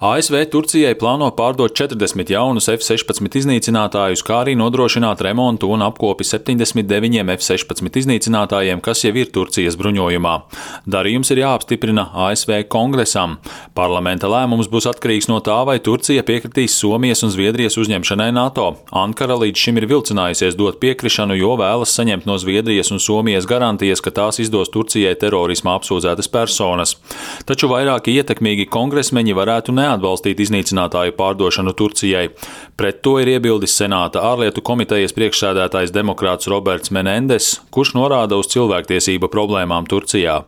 ASV Turcijai plāno pārdot 40 jaunus F-16 iznīcinātājus, kā arī nodrošināt remontu un apkopi 79 F-16 iznīcinātājiem, kas jau ir Turcijas bruņojumā. Darījums ir jāapstiprina ASV kongresam. Parlamenta lēmums būs atkarīgs no tā, vai Turcija piekritīs Somijas un Zviedrijas uzņemšanai NATO. Ankara līdz šim ir vilcinājusies dot piekrišanu, jo vēlas saņemt no Zviedrijas un Somijas garantijas, ka tās izdos Turcijai terorismā apsūdzētas personas. Taču vairāki ietekmīgi kongresmeņi varētu neatbalstīt iznīcinātāju pārdošanu Turcijai. Pret to ir iebildis Senāta ārlietu komitejas priekšsēdētājs demokrāts Roberts Menendess, kurš norāda uz cilvēktiesību problēmām Turcijā.